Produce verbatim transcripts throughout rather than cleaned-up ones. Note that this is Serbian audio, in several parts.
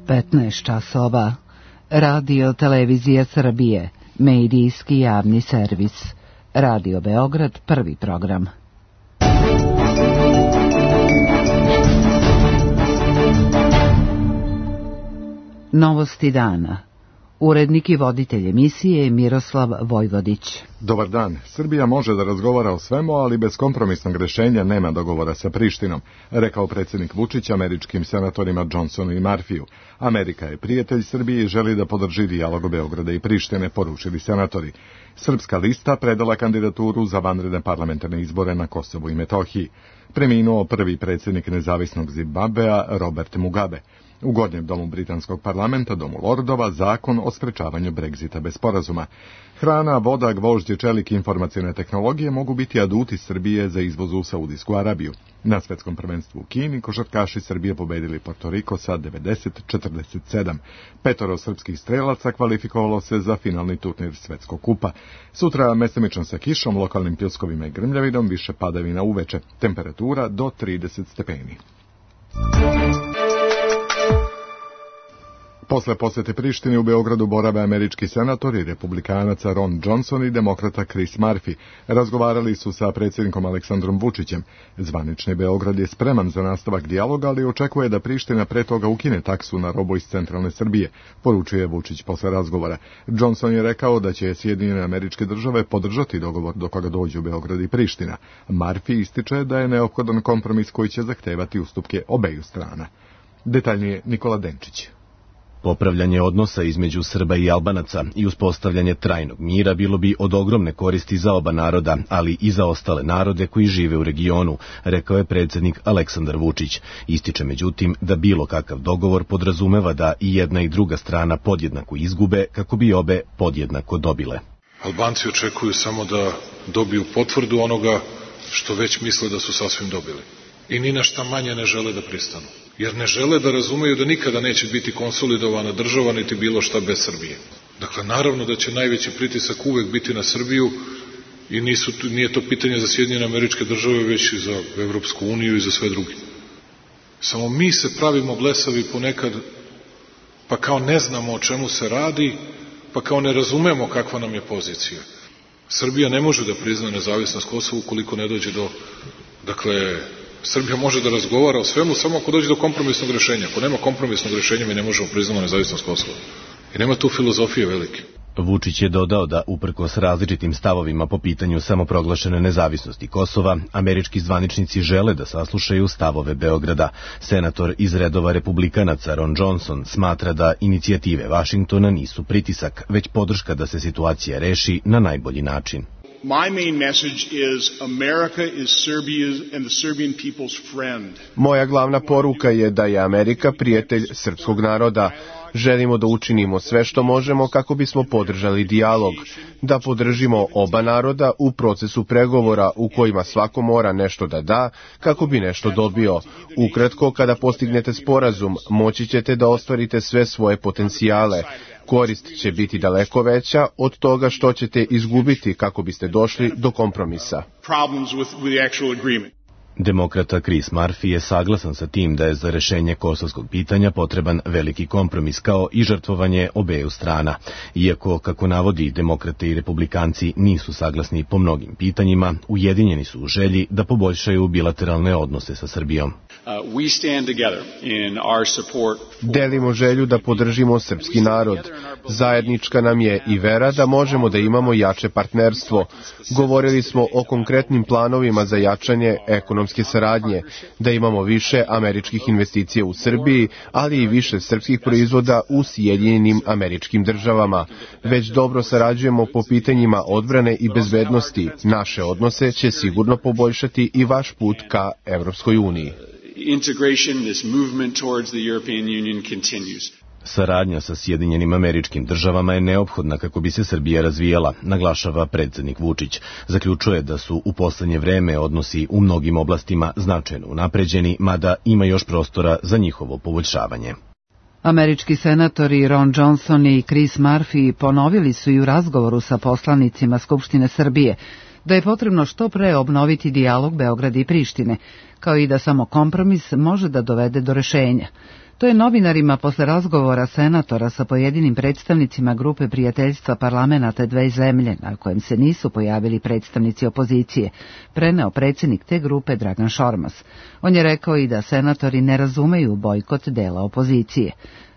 petnaest časova. Radio Televizija Srbije, medijski javni servis. Radio Beograd, prvi program. Novosti dana. Urednik i voditelj emisije Miroslav Vojvodić. Dobar dan. Srbija može da razgovara o svemu, ali bez kompromisnog rešenja nema dogovora sa Prištinom, rekao predsjednik Vučić američkim senatorima Johnsonu i Murphyu. Amerika je prijatelj Srbije i želi da podrži dijalog Beograda i Prištine, poručili senatori. Srpska lista predala kandidaturu za vanredne parlamentarne izbore na Kosovu i Metohiji. Preminuo prvi predsjednik nezavisnog Zimbabvea Robert Mugabe. U Gornjem domu britanskog parlamenta, domu lordova, zakon o sprečavanju Brexita bez sporazuma. Hrana, voda, gvožđe, čelik i informacijne tehnologije mogu biti aduti Srbije za izvoz u Saudijsku Arabiju. Na svetskom prvenstvu u Kini košarkaši Srbije pobedili Porto Riko sa devedeset četrdeset sedam. Petoro srpskih strelaca kvalifikovalo se za finalni turnir Svetskog kupa. Sutra mestimično sa kišom, lokalnim pljuskovima i grmljavinom, više padavina uveče. Temperatura do trideset stepeni. Posle posete Prištini u Beogradu borave američki senator i republikanaca Ron Johnson i demokrata Chris Murphy. Razgovarali su sa predsjednikom Aleksandrom Vučićem. Zvanični Beograd je spreman za nastavak dijaloga, ali očekuje da Priština pre toga ukine taksu na robu iz centralne Srbije, poručuje Vučić posle razgovora. Johnson je rekao da će Sjedinjene Američke Države podržati dogovor do koga dođu Beograd i Priština. Murphy ističe da je neophodan kompromis koji će zahtevati ustupke obeju strana. Detaljnije Nikola Denčić. Popravljanje odnosa između Srba i Albanaca i uspostavljanje trajnog mira bilo bi od ogromne koristi za oba naroda, ali i za ostale narode koji žive u regionu, rekao je predsjednik Aleksandar Vučić. Ističe međutim da bilo kakav dogovor podrazumeva da i jedna i druga strana podjednako izgube kako bi obe podjednako dobile. Albanci očekuju samo da dobiju potvrdu onoga što već misle da su sasvim dobili. I ni na šta manje ne žele da pristanu. Jer ne žele da razumeju da nikada neće biti konsolidovana država niti bilo šta bez Srbije. Dakle, naravno da će najveći pritisak uvek biti na Srbiju i nisu, nije to pitanje za Sjedinjene Američke Države, već i za Evropsku uniju i za sve druge. Samo mi se pravimo blesavi ponekad, pa kao ne znamo o čemu se radi, pa kao ne razumemo kakva nam je pozicija. Srbija ne može da prizna nezavisnost Kosova ukoliko ne dođe do, dakle, Srbija može da razgovara o svemu samo ako dođe do kompromisnog rešenja. Ako nema kompromisnog rešenja, mi ne možemo priznati nezavisnost Kosova. I nema tu filozofije velike. Vučić je dodao da, uprkos različitim stavovima po pitanju samoproglašene nezavisnosti Kosova, američki zvaničnici žele da saslušaju stavove Beograda. Senator iz redova republikanaca Ron Johnson smatra da inicijative Vašingtona nisu pritisak, već podrška da se situacija reši na najbolji način. My main message is America is Serbia's and the Serbian people's friend. Moja glavna poruka je da je Amerika prijatelj srpskog naroda. Želimo da učinimo sve što možemo kako bismo podržali dijalog, da podržimo oba naroda u procesu pregovora u kojima svako mora nešto da da kako bi nešto dobio. Ukratko, kada postignete sporazum, moći ćete da ostvarite sve svoje potencijale. Korist će biti daleko veća od toga što ćete izgubiti kako biste došli do kompromisa. Demokrata Chris Murphy je saglasan sa tim da je za rešenje kosovskog pitanja potreban veliki kompromis kao i žrtvovanje obeju strana. Iako, kako navodi, demokrate i republikanci nisu saglasni po mnogim pitanjima, ujedinjeni su u želji da poboljšaju bilateralne odnose sa Srbijom. Delimo želju da podržimo srpski narod. Zajednička nam je i vera da možemo da imamo jače partnerstvo. Govorili smo o konkretnim planovima za jačanje ekonomske saradnje, da imamo više američkih investicija u Srbiji, ali i više srpskih proizvoda u Sjedinjenim Američkim Državama. Već dobro sarađujemo po pitanjima odbrane i bezbednosti. Naše odnose će sigurno poboljšati i vaš put ka Evropskoj uniji. Integration, this movement towards the European Union continues. Saradnja sa Sjedinjenim Američkim Državama je neophodna kako bi se Srbija razvijala, naglašava predsjednik Vučić. Zaključuje da su u poslednje vreme odnosi u mnogim oblastima značajno unapređeni, mada ima još prostora za njihovo poboljšavanje. Američki senatori Ron Johnson i Chris Murphy ponovili su i u razgovoru sa poslanicima Skupštine Srbije da je potrebno što pre obnoviti dijalog Beograda i Prištine, kao i da samo kompromis može da dovede do rešenja. To je novinarima posle razgovora senatora sa pojedinim predstavnicima grupe prijateljstva parlamenata dve zemlje, na kojem se nisu pojavili predstavnici opozicije, preneo predsjednik te grupe Dragan Šormaz. On je rekao i da senatori ne razumeju bojkot dela opozicije.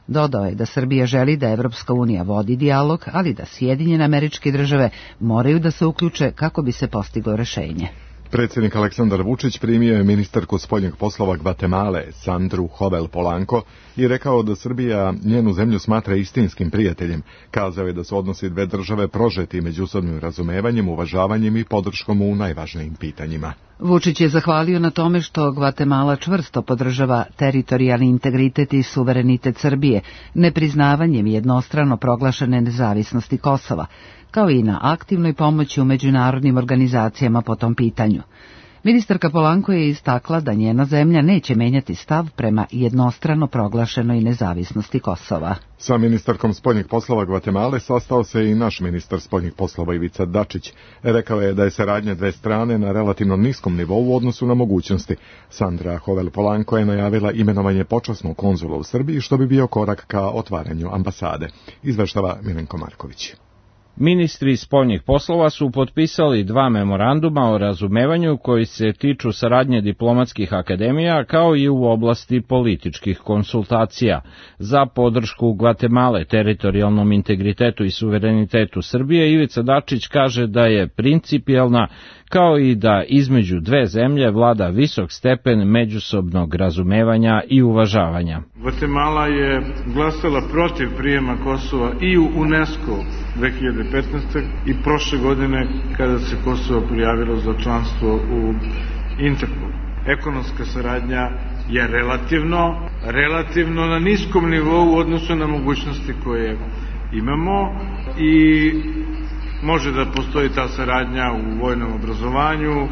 Dodao je da Srbija želi da Evropska unija vodi dijalog, ali da Sjedinjene Američke Države moraju da se uključe kako bi se postiglo rešenje. Predsjednik Aleksandar Vučić primio je ministarku spoljnih poslova Gvatemale, Sandru Hovel Polanco, i rekao da Srbija njenu zemlju smatra istinskim prijateljem. Kazao je da su odnosi dve države prožeti međusobnim razumevanjem, uvažavanjem i podrškom u najvažnijim pitanjima. Vučić je zahvalio na tome što Gvatemala čvrsto podržava teritorijalni integritet i suverenitet Srbije, nepriznavanjem jednostrano proglašene nezavisnosti Kosova, kao i na aktivnoj pomoći u međunarodnim organizacijama po tom pitanju. Ministarka Polanco je istakla da njena zemlja neće menjati stav prema jednostrano proglašenoj nezavisnosti Kosova. Sa ministarkom spoljnih poslova Gvatemale sastao se i naš ministar spoljnih poslova Ivica Dačić. Rekao je da je saradnja dve strane na relativno niskom nivou u odnosu na mogućnosti. Sandra Hovel Polanco je najavila imenovanje počasnog konzula u Srbiji, što bi bio korak ka otvaranju ambasade. Izveštava Milenko Marković. Ministri spoljnih poslova su potpisali dva memoranduma o razumevanju koji se tiču saradnje diplomatskih akademija kao i u oblasti političkih konsultacija. Za podršku Gvatemale, teritorijalnom integritetu i suverenitetu Srbije, Ivica Dačić kaže da je principijelna, kao i da između dve zemlje vlada visok stepen međusobnog razumevanja i uvažavanja. Gvatemala je glasala protiv prijema Kosova i u UNESCO dve hiljade petnaeste. i prošle godine kada se Kosovo prijavilo za članstvo u Interpolu. Ekonomska saradnja je relativno, relativno na niskom nivou u odnosu na mogućnosti koje imamo i može da postoji ta saradnja u vojnom obrazovanju,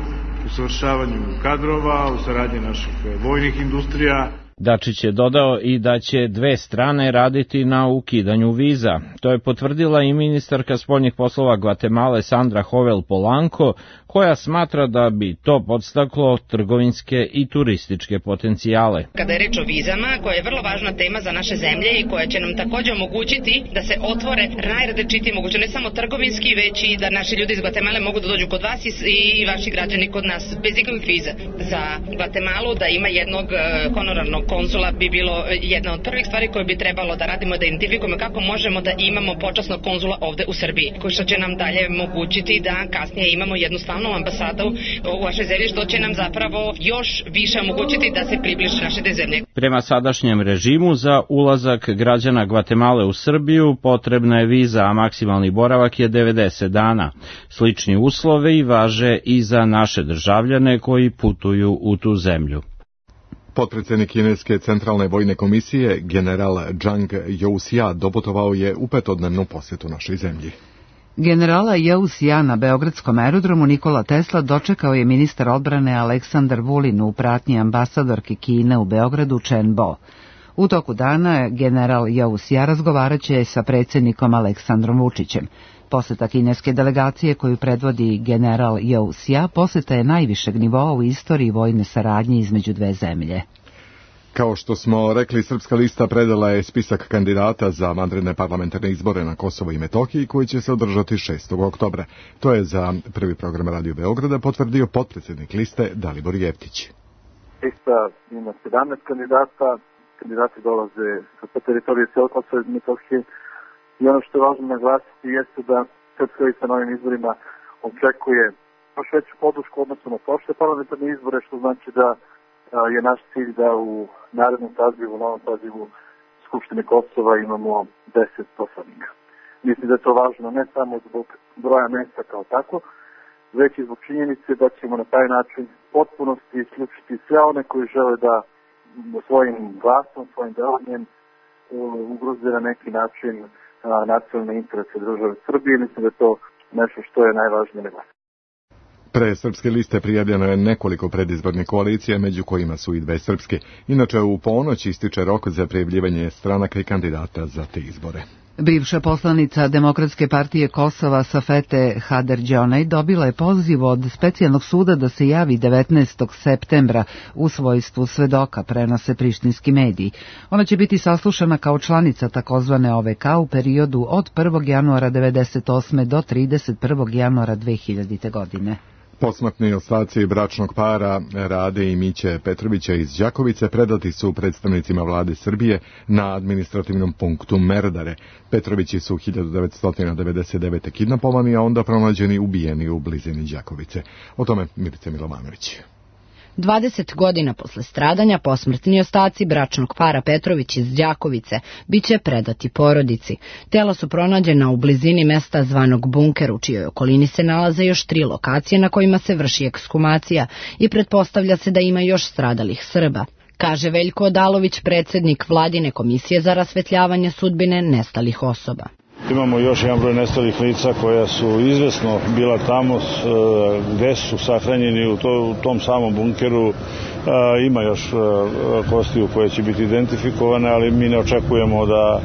u savršavanju kadrova, u saradnji naših vojnih industrija. Dačić je dodao i da će dve strane raditi na ukidanju viza. To je potvrdila i ministarka spoljnih poslova Gvatemale Sandra Hovel Polanco, koja smatra da bi to podstaklo trgovinske i turističke potencijale. Kada je reč o vizama, koja je vrlo važna tema za naše zemlje i koja će nam također omogućiti da se otvore najrazličitije moguće, ne samo trgovinski, već i da naši ljudi iz Gvatemale mogu da dođu kod vas i vaši građani kod nas bez ikakvih viza. Za Gvatemalu da ima jednog honorarnog konzula bi bilo jedna od prvih stvari koje bi trebalo da radimo, da identifikujemo kako možemo da imamo počasnog konzula ovde u Srbiji, koji što će nam dalje omogućiti da kasnije imamo jednu stalnu ambasadu u vašoj zemlji, što će nam zapravo još više omogućiti da se približe naše te zemlje. Prema sadašnjem režimu za ulazak građana Gvatemale u Srbiju potrebna je viza, a maksimalni boravak je devedeset dana. Slični uslovi važe i za naše državljane koji putuju u tu zemlju. Potpredsjednik kineske centralne vojne komisije, general Zhang Youxia, doputovao je u petodnevnu posjetu našoj zemlji. Generala Youxia na beogradskom aerodromu Nikola Tesla dočekao je ministar odbrane Aleksandar Vulin u pratnji ambasadorke Kine u Beogradu Chen Bo. U toku dana general Youxia razgovaraće sa predsjednikom Aleksandrom Vučićem. Poseta kineske delegacije koju predvodi general Youxia poseta je najvišeg nivoa u istoriji vojne saradnje između dve zemlje. Kao što smo rekli, Srpska lista predala je spisak kandidata za vanredne parlamentarne izbore na Kosovo i Metohiji koji će se održati šestog oktobra. To je za prvi program Radio Beograda potvrdio potpredsjednik liste Dalibor Jeftić. Lista ima sedamnaest kandidata, kandidati dolaze sa teritorije cijele Kosova i Metohije. I ono što je važno naglasiti jeste da Srpska lista na ovim izborima očekuje još veću podršku odnosno na prošle parlamentarne izbore, što znači da je naš cilj da u narednom sazivu, u novom sazivu Skupštine Kosova imamo deset poslanika. Mislim da je to važno ne samo zbog broja mesta kao tako, već i zbog činjenice da ćemo na taj način potpunosti isključiti sve one koji žele da svojim glasom, svojim delovanjem ugroze na neki način nacionalne interese države Srbije. Mislim da je to nešto što je najvažnije naglasiti. Pre Srpske liste prijavljeno je nekoliko predizbornih koalicija, među kojima su i dve srpske. Inače, u ponoć ističe rok za prijavljivanje stranaka i kandidata za te izbore. Bivša poslanica Demokratske partije Kosova Safete Haderđonaj dobila je poziv od specijalnog suda da se javi devetnaestog septembra u svojstvu svedoka, prenose prištinski mediji. Ona će biti saslušana kao članica takozvane O V K u periodu od prvog januara devedeset osme do trideset prvog januara dve hiljadite. godine. Posmrtni ostaci bračnog para Rade i Miće Petrovića iz Đakovice predati su predstavnicima vlade Srbije na administrativnom punktu Merdare. Petrovići su hiljadu devetsto devedeset devete. kidnapovani, a onda pronađeni ubijeni u blizini Đakovice. O tome Milica Milovanović. dvadeset godina posle stradanja posmrtni ostaci bračnog para Petrović iz Đakovice biće predati porodici. Tela su pronađena u blizini mesta zvanog Bunker, u čijoj okolini se nalaze još tri lokacije na kojima se vrši ekshumacija i pretpostavlja se da ima još stradalih Srba, kaže Veljko Odalović, predsednik Vladine komisije za rasvetljavanje sudbine nestalih osoba. Imamo još jedan broj nestalih lica koja su izvesno bila tamo, gde su sahranjeni u, to, u tom samom bunkeru. Ima još kostiju koje će biti identifikovane, ali mi ne očekujemo da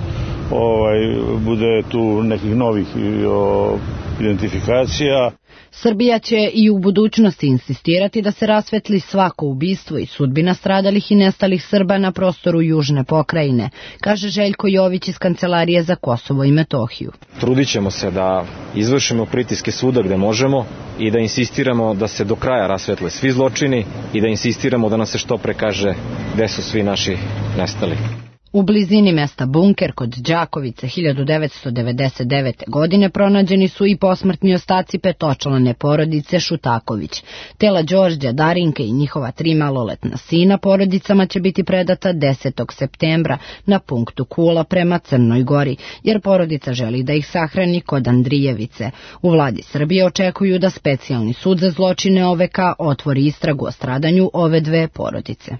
ovaj, bude tu nekih novih o, identifikacija. Srbija će i u budućnosti insistirati da se rasvetli svako ubistvo i sudbina stradalih i nestalih Srba na prostoru južne pokrajine, kaže Željko Jović iz Kancelarije za Kosovo i Metohiju. Trudit ćemo se da izvršimo pritiske svuda gde možemo i da insistiramo da se do kraja rasvetle svi zločini i da insistiramo da nam se što pre kaže gde su svi naši nestali. U blizini mesta Bunker kod Đakovice hiljadu devetsto devedeset devete. godine pronađeni su i posmrtni ostaci petočlane porodice Šutaković. Tela Đorđa, Darinke i njihova tri maloletna sina porodicama će biti predata desetog septembra na punktu Kula prema Crnoj Gori, jer porodica želi da ih sahrani kod Andrijevice. U vladi Srbije očekuju da specijalni sud za zločine O V K otvori istragu o stradanju ove dve porodice.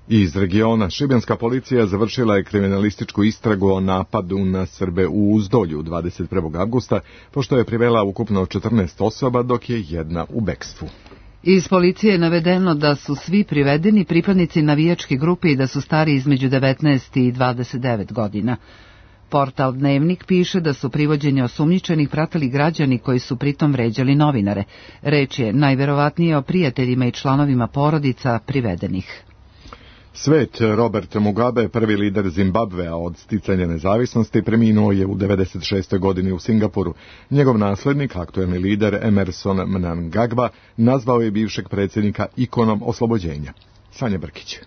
Iz regiona šibenska policija završila je kriminalističku istragu o napadu na Srbe u Uzdolju dvadeset prvog avgusta, pošto je privela ukupno četrnaest osoba, dok je jedna u bekstvu. Iz policije je navedeno da su svi privedeni pripadnici navijačke grupe i da su stari između devetnaest i dvadeset devet godina. Portal Dnevnik piše da su privođenje osumnjičenih pratili građani koji su pritom vređali novinare. Reč je najverovatnije o prijateljima i članovima porodica privedenih. Svet Robert Mugabe, prvi lider Zimbabvea od sticanja nezavisnosti, preminuo je u devedeset šestoj. godini u Singapuru. Njegov naslednik, aktuelni lider Emerson Mnangagwa, nazvao je bivšeg predsjednika ikonom oslobođenja. Sanja Brkić.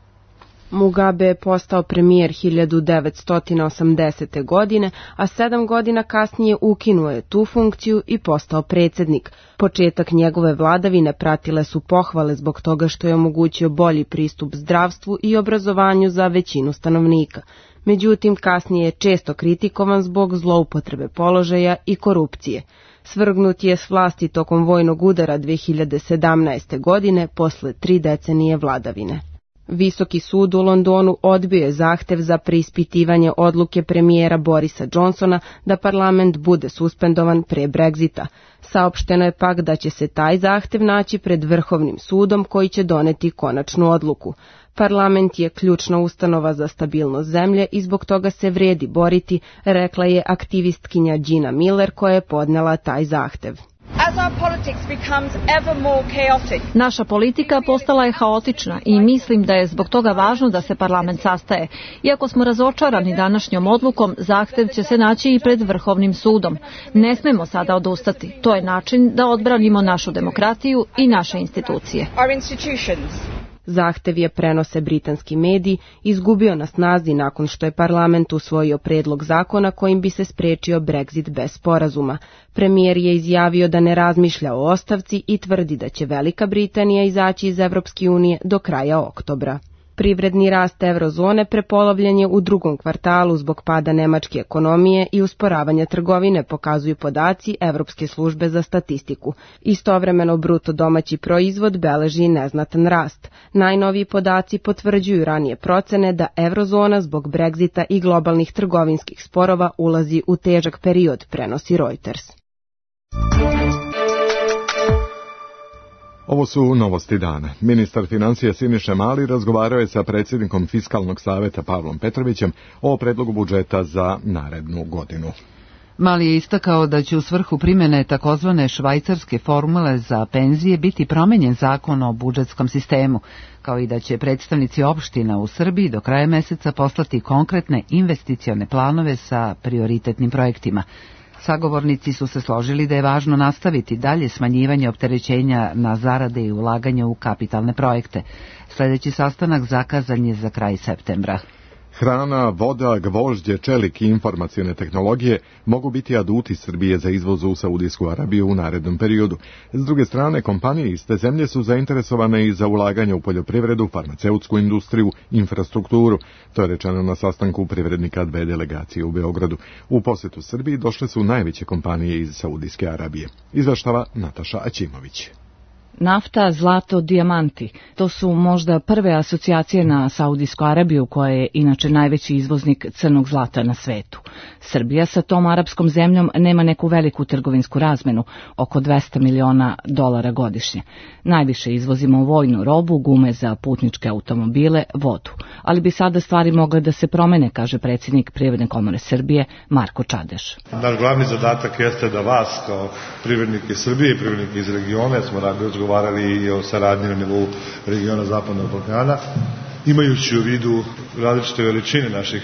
Mugabe je postao premijer hiljadu devetsto osamdesete. godine, a sedam godina kasnije ukinuo je tu funkciju i postao predsjednik. Početak njegove vladavine pratile su pohvale zbog toga što je omogućio bolji pristup zdravstvu i obrazovanju za većinu stanovnika. Međutim, kasnije je često kritikovan zbog zloupotrebe položaja i korupcije. Svrgnut je s vlasti tokom vojnog udara dve hiljade sedamnaeste. godine posle tri decenije vladavine. Visoki sud u Londonu odbio je zahtev za preispitivanje odluke premijera Borisa Johnsona da parlament bude suspendovan pre Brexita. Saopšteno je pak da će se taj zahtev naći pred Vrhovnim sudom koji će doneti konačnu odluku. Parlament je ključna ustanova za stabilnost zemlje i zbog toga se vredi boriti, rekla je aktivistkinja Gina Miller koja je podnela taj zahtev. Naša politika postala je haotična i mislim da je zbog toga važno da se parlament sastaje. Iako smo razočarani današnjom odlukom, zahtev će se naći i pred Vrhovnim sudom. Ne smemo sada odustati. To je način da odbranimo našu demokratiju i naše institucije. Zahtev je, prenose britanski mediji, izgubio na snazi nakon što je parlament usvojio predlog zakona kojim bi se sprečio Brexit bez sporazuma. Premijer je izjavio da ne razmišlja o ostavci i tvrdi da će Velika Britanija izaći iz Evropske unije do kraja oktobra. Privredni rast eurozone prepolovljen je u drugom kvartalu zbog pada nemačke ekonomije i usporavanja trgovine, pokazuju podaci Evropske službe za statistiku. Istovremeno bruto domaći proizvod beleži neznatan rast. Najnoviji podaci potvrđuju ranije procene da eurozona zbog Brexita i globalnih trgovinskih sporova ulazi u težak period, prenosi Reuters. Ovo su novosti dana. Ministar financija Siniša Mali razgovarao je sa predsjednikom Fiskalnog saveta Pavlom Petrovićem o predlogu budžeta za narednu godinu. Mali je istakao da će u svrhu primjene takozvane švajcarske formule za penzije biti promenjen zakon o budžetskom sistemu, kao i da će predstavnici opština u Srbiji do kraja meseca poslati konkretne investicione planove sa prioritetnim projektima. Sagovornici su se složili da je važno nastaviti dalje smanjivanje opterećenja na zarade i ulaganje u kapitalne projekte. Sljedeći sastanak zakazan je za kraj septembra. Hrana, voda, gvožđe, čelik i informacione tehnologije mogu biti aduti Srbije za izvoz u Saudijsku Arabiju u narednom periodu. S druge strane, kompanije iz te zemlje su zainteresovane i za ulaganje u poljoprivredu, farmaceutsku industriju, infrastrukturu. To je rečeno na sastanku privrednika dve delegacije u Beogradu. U posjetu Srbiji došle su najveće kompanije iz Saudijske Arabije. Izveštava Nataša Aćimović. Nafta, zlato, dijamanti. To su možda prve asocijacije na Saudijsku Arabiju, koja je inače najveći izvoznik crnog zlata na svetu. Srbija sa tom arapskom zemljom nema neku veliku trgovinsku razmenu, oko dvesta miliona dolara godišnje. Najviše izvozimo vojnu robu, gume za putničke automobile, vodu. Ali bi sada stvari mogle da se promene, kaže predsjednik Privredne komore Srbije, Marko Čadeš. Naš glavni zadatak jeste da vas, kao privrednike Srbije i privrednike iz regiona, smo radili govarali i o saradnji na nivou regiona Zapadnog Balkana, imajući u vidu različite veličine naših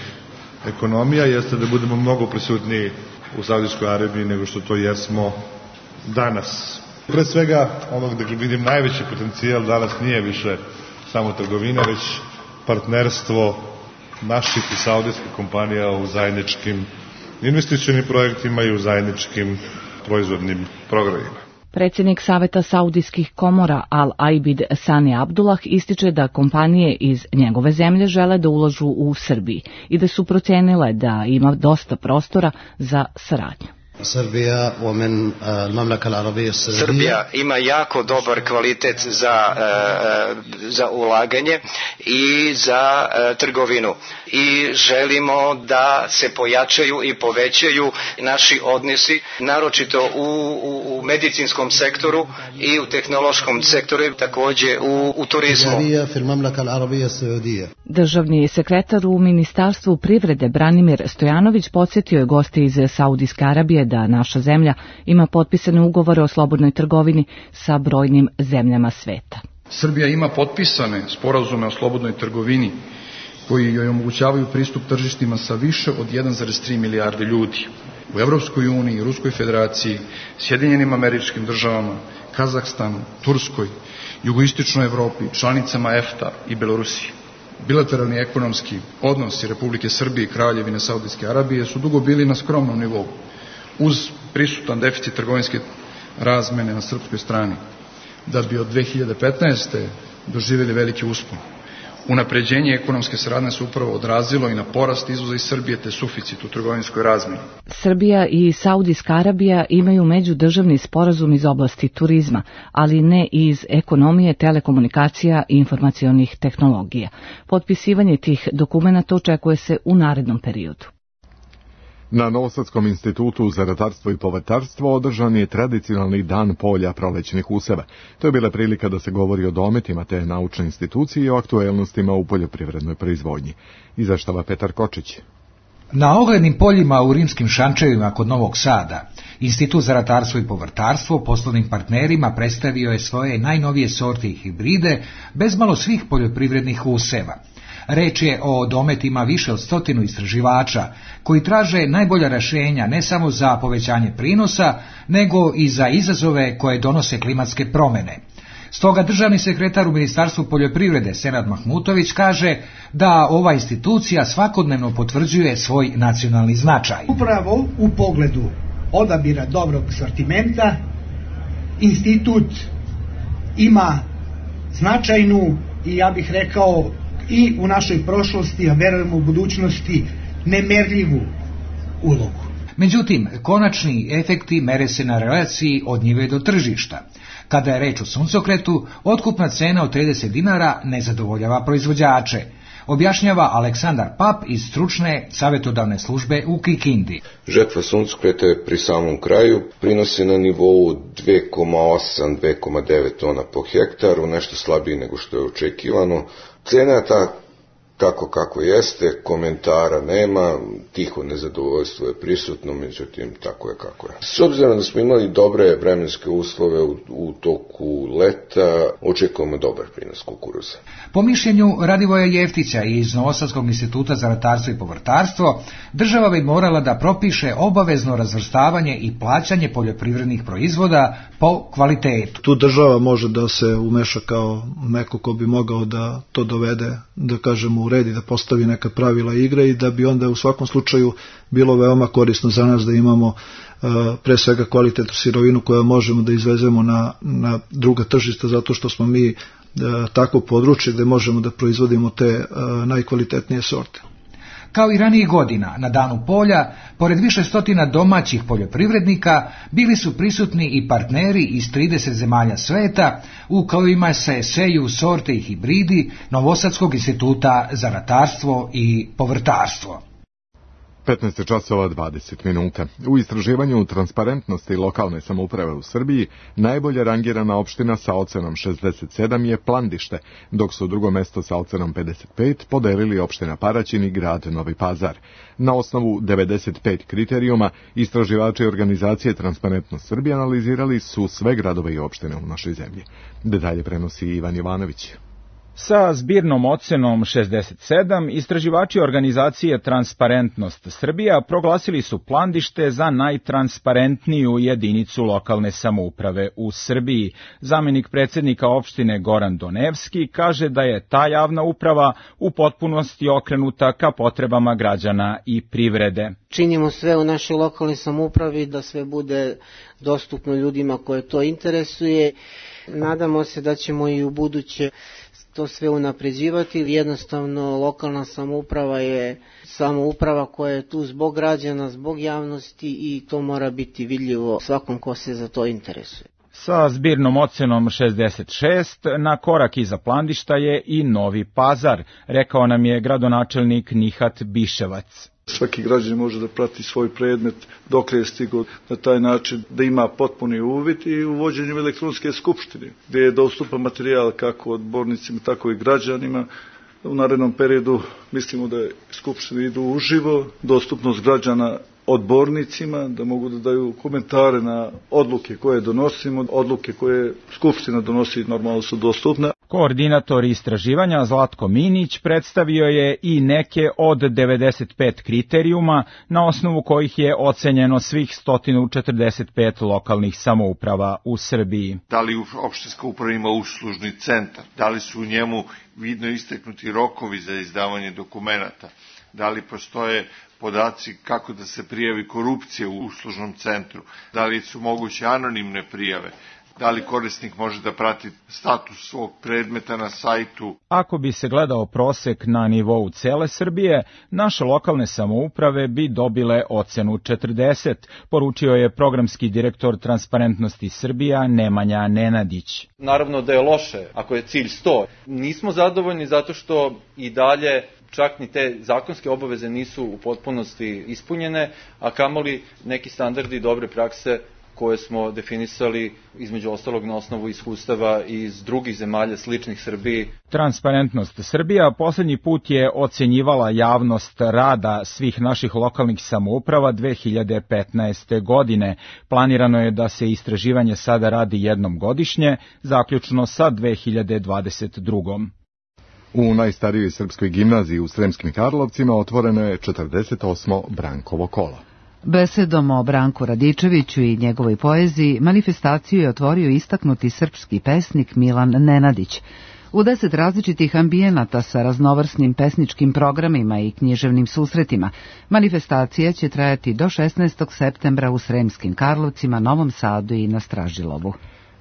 ekonomija, jeste da budemo mnogo prisutniji u Saudijskoj Arabiji nego što to jesmo danas. Pre svega, onog da vidim najveći potencijal danas nije više samo trgovina, već partnerstvo naših i saudijskih kompanija u zajedničkim investicionim projektima i u zajedničkim proizvodnim programima. Predsjednik Saveta saudijskih komora Al-Aibid Sani Abdullah ističe da kompanije iz njegove zemlje žele da ulažu u Srbiji i da su procenile da ima dosta prostora za saradnju. Srbija, Srbija ima jako dobar kvalitet za, za ulaganje i za trgovinu i želimo da se pojačaju i povećaju naši odnosi, naročito u, u, u medicinskom sektoru i u tehnološkom sektoru, također u, u turizmu. Državni sekretar u Ministarstvu privrede Branimir Stojanović podsjetio je goste iz Saudijske Arabije da naša zemlja ima potpisane ugovore o slobodnoj trgovini sa brojnim zemljama sveta. Srbija ima potpisane sporazume o slobodnoj trgovini koji joj omogućavaju pristup tržištima sa više od jedan zarez tri milijarde ljudi. U Evropskoj uniji, Ruskoj federaciji, Sjedinjenim Američkim Državama, Kazahstanu, Turskoj, jugoistočnoj Evropi, članicama E F T A i Belorusiji. Bilateralni ekonomski odnosi Republike Srbije i Kraljevine Saudijske Arabije su dugo bili na skromnom nivou, uz prisutan deficit trgovinske razmene na srpskoj strani, da bi od dve hiljade petnaeste. doživjeli veliki uspon. Unapređenje ekonomske saradnje se upravo odrazilo i na porast izvoza iz Srbije te suficit u trgovinskoj razmeni. Srbija i Saudijska Arabija imaju međudržavni sporazum iz oblasti turizma, ali ne iz ekonomije, telekomunikacija i informacionih tehnologija. Potpisivanje tih dokumenata očekuje se u narednom periodu. Na Novosadskom institutu za ratarstvo i povrtarstvo održan je tradicionalni dan polja prolećnih useva. To je bila prilika da se govori o dometima te naučne institucije i o aktuelnostima u poljoprivrednoj proizvodnji. Izveštava Petar Kočić. Na oglednim poljima u rimskim šančevima kod Novog Sada, Institut za ratarstvo i povrtarstvo poslovnim partnerima predstavio je svoje najnovije sorte i hibride bez malo svih poljoprivrednih useva. Reč je o dometima više od stotinu istraživača koji traže najbolja rješenja ne samo za povećanje prinosa, nego i za izazove koje donose klimatske promjene. Stoga državni sekretar u Ministarstvu poljoprivrede Senad Mahmutović kaže da ova institucija svakodnevno potvrđuje svoj nacionalni značaj. Upravo u pogledu odabira dobrog sortimenta institut ima značajnu i ja bih rekao i u našoj prošlosti, a verujemo u budućnosti, nemerljivu ulogu. Međutim, konačni efekti mere se na relaciji od njive do tržišta. Kada je reč o suncokretu, otkupna cena od trideset dinara ne zadovoljava proizvođače. objašnjava Aleksandar Pap iz stručne savjetodavne službe u Kikindi. Žetva suncokreta je pri samom kraju, prinosi na nivou dve zarez osam do dve zarez devet tona po hektaru, nešto slabiji nego što je očekivano. Cena je ta kako kako jeste, komentara nema, tiho nezadovoljstvo je prisutno, međutim tako je kako je. S obzirom da smo imali dobre vremenske uslove u, u toku leta, očekujemo dobar prinos kukuruza. Po mišljenju Radivoja Jeftića iz Novosadskog instituta za ratarstvo i povrtarstvo, država bi morala da propiše obavezno razvrstavanje i plaćanje poljoprivrednih proizvoda po kvalitetu. Tu država može da se umeša kao neko ko bi mogao da to dovede, da kažemo, uredi, da postavi neka pravila igre i da bi onda u svakom slučaju bilo veoma korisno za nas da imamo uh, pre svega kvalitetnu sirovinu koju možemo da izvezemo na, na druga tržišta, zato što smo mi uh, tako područje gde možemo da proizvodimo te uh, najkvalitetnije sorte. Kao i ranijih godina, na Danu polja, pored više stotina domaćih poljoprivrednika, bili su prisutni i partneri iz trideset zemalja sveta, u kojima se seju sorte i hibridi Novosadskog instituta za ratarstvo i povrtarstvo. petnaest časova dvadeset minuta. U istraživanju transparentnosti lokalne samouprave u Srbiji najbolje rangirana opština sa ocenom šezdeset sedam je Plandište, dok su drugo mesto sa ocenom pedeset pet podelili opština Paraćin i grad Novi Pazar. Na osnovu devedeset pet kriterijuma, istraživači organizacije Transparentnost Srbije analizirali su sve gradove i opštine u našoj zemlji. Detalje prenosi Ivan Jovanović. Sa zbirnom ocenom šezdeset sedam, istraživači organizacije Transparentnost Srbija proglasili su Plandište za najtransparentniju jedinicu lokalne samouprave u Srbiji. Zamenik predsjednika opštine Goran Donevski kaže da je ta javna uprava u potpunosti okrenuta ka potrebama građana i privrede. Činimo sve u našoj lokalnoj samoupravi da sve bude dostupno ljudima koje to interesuje. Nadamo se da ćemo i u buduće to sve unapređivati. Jednostavno lokalna samouprava je samouprava koja je tu zbog građana, zbog javnosti i to mora biti vidljivo svakom ko se za to interesuje. Sa zbirnom ocenom šezdeset šest na korak iza Plandišta je i Novi Pazar, rekao nam je gradonačelnik Nihat Biševac. Svaki građanin može da prati svoj predmet dok je stigao, na taj način da ima potpuni uvid i uvođenjem elektronske skupštine, gdje je dostupan materijal kako odbornicima, tako i građanima. U narednom periodu mislimo da skupštine idu uživo, dostupnost građana odbornicima, da mogu da daju komentare na odluke koje donosimo, odluke koje skupština donosi normalno su dostupne. Koordinator istraživanja Zlatko Minić predstavio je i neke od devedeset pet kriterijuma na osnovu kojih je ocenjeno svih sto četrdeset pet lokalnih samouprava u Srbiji. Da li opštinska uprava ima uslužni centar, da li su u njemu vidno isteknuti rokovi za izdavanje dokumenata, da li postoje podaci kako da se prijavi korupcija u uslužnom centru, da li su moguće anonimne prijave, da li korisnik može da prati status svog predmeta na sajtu. Ako bi se gledao prosek na nivou cele Srbije, naše lokalne samouprave bi dobile ocenu četrdeset, poručio je programski direktor Transparentnosti Srbija Nemanja Nenadić. Naravno da je loše ako je cilj sto. Nismo zadovoljni zato što i dalje čak ni te zakonske obaveze nisu u potpunosti ispunjene, a kamoli neki standardi dobre prakse koje smo definisali između ostalog na osnovu iskustava iz drugih zemalja sličnih Srbiji. Transparentnost Srbija poslednji put je ocenjivala javnost rada svih naših lokalnih samouprava dve hiljade petnaeste. godine. Planirano je da se istraživanje sada radi jednom godišnje, zaključno sa dve hiljade dvadeset drugom. U najstarijoj srpskoj gimnaziji u Sremskim Karlovcima otvoreno je četrdeset osmo Brankovo kolo. Besedom o Branku Radičeviću i njegovoj poeziji manifestaciju je otvorio istaknuti srpski pesnik Milan Nenadić. U deset različitih ambijenata sa raznovrsnim pesničkim programima i književnim susretima, manifestacija će trajati do šesnaestog septembra u Sremskim Karlovcima, Novom Sadu i na Stražilovu.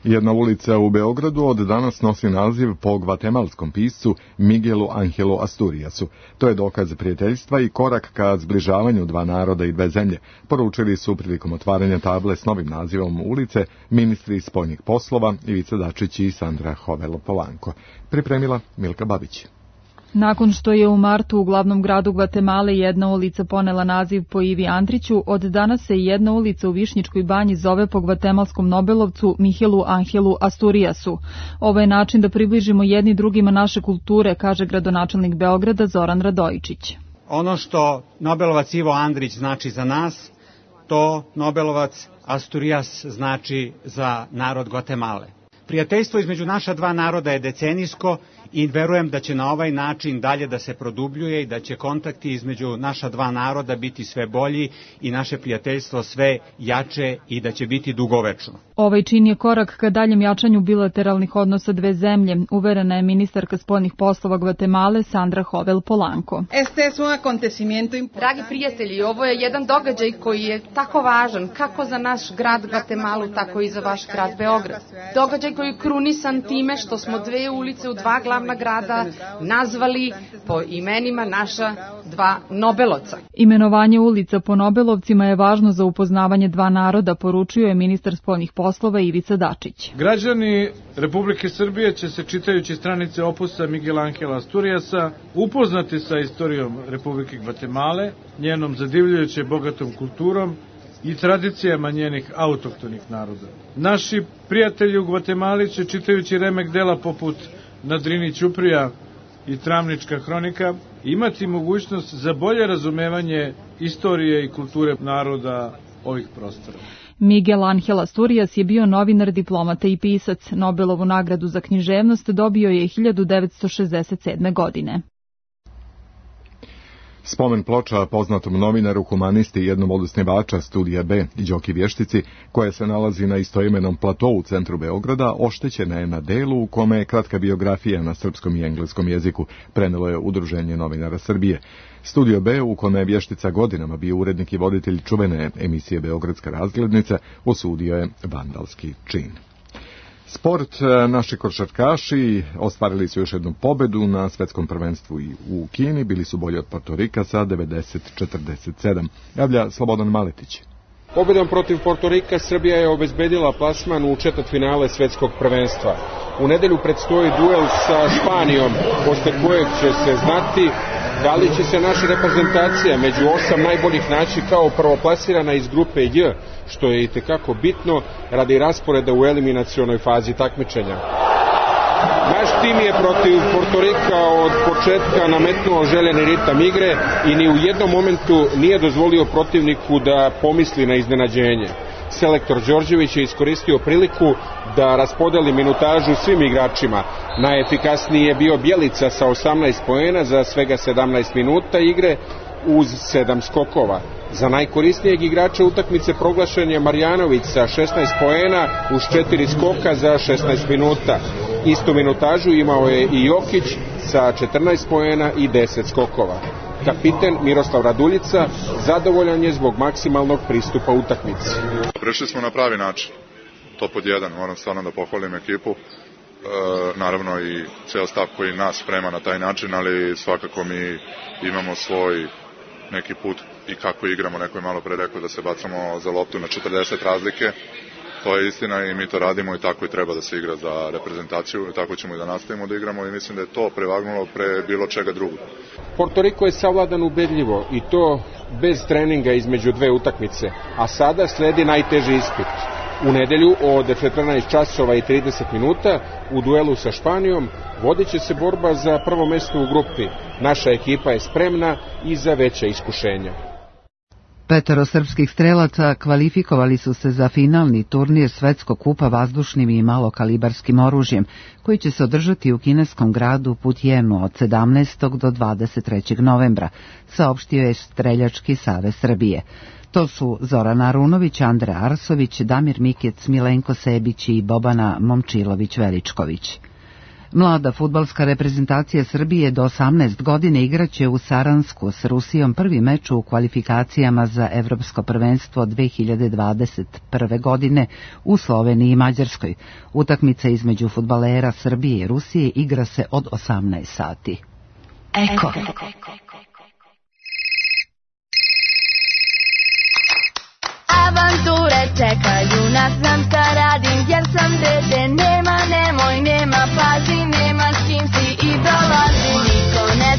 Jedna ulica u Beogradu od danas nosi naziv po gvatemalskom piscu Miguelu Angelu Asturiasu. To je dokaz prijateljstva i korak ka zbližavanju dva naroda i dve zemlje, poručili su prilikom otvaranja table s novim nazivom ulice ministri spoljnih poslova Ivica Dačić i Sandra Hovelo Polanko. Pripremila Milka Babić. Nakon što je u martu u glavnom gradu Gvatemale jedna ulica ponela naziv po Ivi Andriću, od danas se jedna ulica u Višnjičkoj banji zove po gvatemalskom nobelovcu Mihelu Angelu Asturiasu. Ovo je način da približimo jedni drugima naše kulture, kaže gradonačelnik Beograda Zoran Radojičić. Ono što Nobelovac Ivo Andrić znači za nas, to Nobelovac Asturias znači za narod Gvatemale. Prijateljstvo između naša dva naroda je decenijsko i verujem da će na ovaj način dalje da se produbljuje i da će kontakti između naša dva naroda biti sve bolji i naše prijateljstvo sve jače i da će biti dugovečno. Ovaj čin je korak ka daljem jačanju bilateralnih odnosa dve zemlje, uverena je ministarka spoljnih poslova Gvatemale Sandra Hovel Polanco. Dragi prijatelji, ovo je jedan događaj koji je tako važan kako za naš grad Gvatemalu, tako i za vaš grad Beograd. Događaj koji je krunisan time što smo dve ulice u dva glavna grada nazvali po imenima naša dva Nobelovca. Imenovanje ulica po Nobelovcima je važno za upoznavanje dva naroda, poručio je ministar spoljnih poslova Ivica Dačić. Građani Republike Srbije će se, čitajući stranice opusa Miguel Angela Asturiasa, upoznati sa istorijom Republike Gvatemale, njenom zadivljujuće bogatom kulturom i tradicijama njenih autohtonih naroda. Naši prijatelji u Gvatemali će, čitajući remek dela poput Na Drini Ćuprija i Travnička hronika, imati mogućnost za bolje razumevanje istorije i kulture naroda ovih prostora. Miguel Angel Asturias je bio novinar, diplomata i pisac. Nobelovu nagradu za književnost dobio je hiljadu devetsto šezdeset sedme. godine. Spomen ploča poznatom novinaru, humanisti i jednom od osnivača Studija B, Đoki Vještici, koja se nalazi na istoimenom platou u centru Beograda, oštećena je na delu u kome je kratka biografija na srpskom i engleskom jeziku, prenelo je Udruženje novinara Srbije. Studio B, u kome je Vještica godinama bio urednik i voditelj čuvene emisije Beogradska razglednica, osudio je vandalski čin. Sport, naši košarkaši ostvarili su još jednu pobedu na svetskom prvenstvu i u Kini, bili su bolji od Portorika sa devedeset četrdeset sedam. Javlja Slobodan Maletić. Pobedom protiv Portorika Srbija je obezbedila plasman u četvrtfinale svetskog prvenstva. U nedelju predstoji duel sa Španijom, posle kojeg će se znati da li će se naša reprezentacija među osam najboljih naći kao prvoplasirana iz grupe J, što je itekako bitno radi rasporeda u eliminacionoj fazi takmičenja. Naš tim je protiv Portorika od početka nametnuo željeni ritam igre i ni u jednom momentu nije dozvolio protivniku da pomisli na iznenađenje. Selektor Đorđević je iskoristio priliku da raspodeli minutažu svim igračima. Najefikasniji je bio Bjelica sa osamnaest poena za svega sedamnaest minuta igre uz sedam skokova. Za najkorisnijeg igrača utakmice proglašen je Marjanović sa šesnaest poena uz četiri skoka za šesnaest minuta. Istu minutažu imao je i Jokić sa četrnaest poena i deset skokova. Kapiten Miroslav Raduljica zadovoljan je zbog maksimalnog pristupa utakmici. Prešli smo na pravi način. To pod jedan, moram stvarno da pohvalim ekipu. E, naravno i ceo stav koji nas sprema na taj način, ali svakako mi imamo svoj neki put i kako igramo. Neko je malo pre rekao da se bacamo za loptu na četrdeset razlike. To je istina i mi to radimo i tako i treba da se igra za reprezentaciju i tako ćemo i da nastavimo da igramo i mislim da je to prevagnulo pre bilo čega drugog. Portoriko je savladan ubedljivo i to bez treninga između dve utakmice, a sada sledi najteži ispit. U nedelju od četrnaest časova i trideset minuta u duelu sa Španijom vodit će se borba za prvo mesto u grupi. Naša ekipa je spremna i za veća iskušenja. Petoro srpskih strelaca kvalifikovali su se za finalni turnir Svetskog kupa vazdušnim i malokalibarskim oružjem, koji će se održati u kineskom gradu Putjenu od sedamnaestog do dvadeset trećeg novembra, saopštio je Streljački savez Srbije. To su Zorana Arunović, Andra Arsović, Damir Mikec, Milenko Sebić i Bobana Momčilović-Veličković. Mlada fudbalska reprezentacija Srbije do osamnaest godine igraće u Saransku s Rusijom prvi meč u kvalifikacijama za Evropsko prvenstvo dve hiljade dvadeset prve. godine u Sloveniji i Mađarskoj. Utakmica između fudbalera Srbije i Rusije igra se od osamnaest sati. Eko. Avanture čekaju nas, znam šta radim jer sam dete. Nema, nemoj, nema, pazi, nema s kim si i dolazi. Niko ne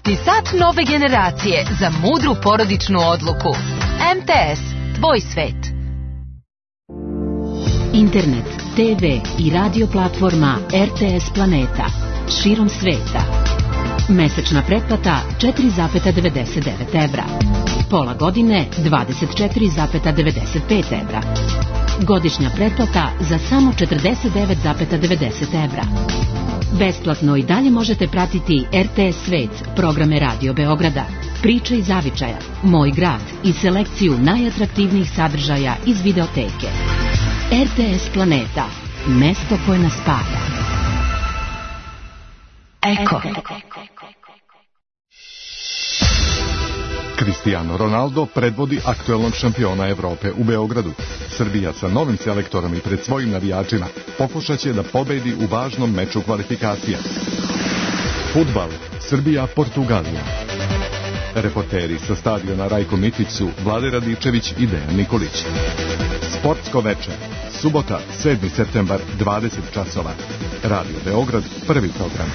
Pametni sat nove generacije za mudru porodičnu odluku. M T S, tvoj svet. Internet, te ve i radio platforma R T S Planeta širom sveta. Mesečna pretplata četiri zarez devedeset devet evra. Pola godine dvadeset četiri zarez devedeset pet evra. Godišnja pretplata za samo četrdeset devet zarez devedeset evra. Besplatno i dalje možete pratiti R T S Svet, programe Radio Beograda, Priče iz Zavičaja, Moj grad i selekciju najatraktivnijih sadržaja iz videoteke. R T S Planeta, mesto koje nas spaja. Eko. Cristiano Ronaldo predvodi aktuelnog šampiona Evrope u Beogradu. Srbija sa novim selektorom i pred svojim navijačima pokušaće da pobedi u važnom meču kvalifikacija. Fudbal, Srbija-Portugalija. Reporteri sa stadiona Rajko Mitić su Vlade Radičević i Dejan Nikolić. Sportsko veče, subota, sedmi septembar, dvadeset časova. Radio Beograd, prvi program.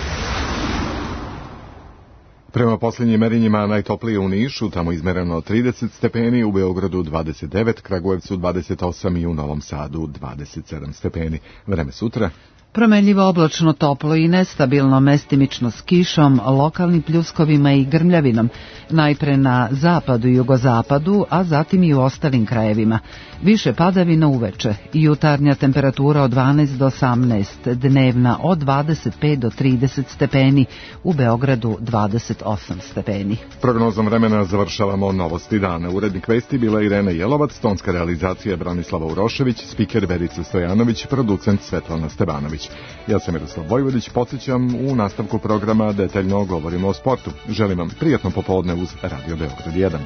Prema posljednjim merenjima najtoplije u Nišu, tamo izmereno trideset stepeni, u Beogradu dvadeset devet, Kragujevcu dvadeset osam i u Novom Sadu dvadeset sedam stepeni. Vreme sutra. Promenljivo oblačno, toplo i nestabilno, mestimično s kišom, lokalnim pljuskovima i grmljavinom, najpre na zapadu i jugozapadu, a zatim i u ostalim krajevima. Više padavina uveče, jutarnja temperatura od dvanaest do osamnaest, dnevna od dvadeset pet do trideset stepeni, u Beogradu dvadeset osam stepeni. Prognozom vremena završavamo novosti dana. Urednik vesti bila Irena Jelovac, tonska realizacija Branislava Urošević, spiker Verica Stojanović, producent Svetlana Stebanović. Ja sam Miroslav Vojvodić, podsjećam, u nastavku programa detaljno govorimo o sportu. Želim vam prijatno popodne uz Radio Beograd jedan.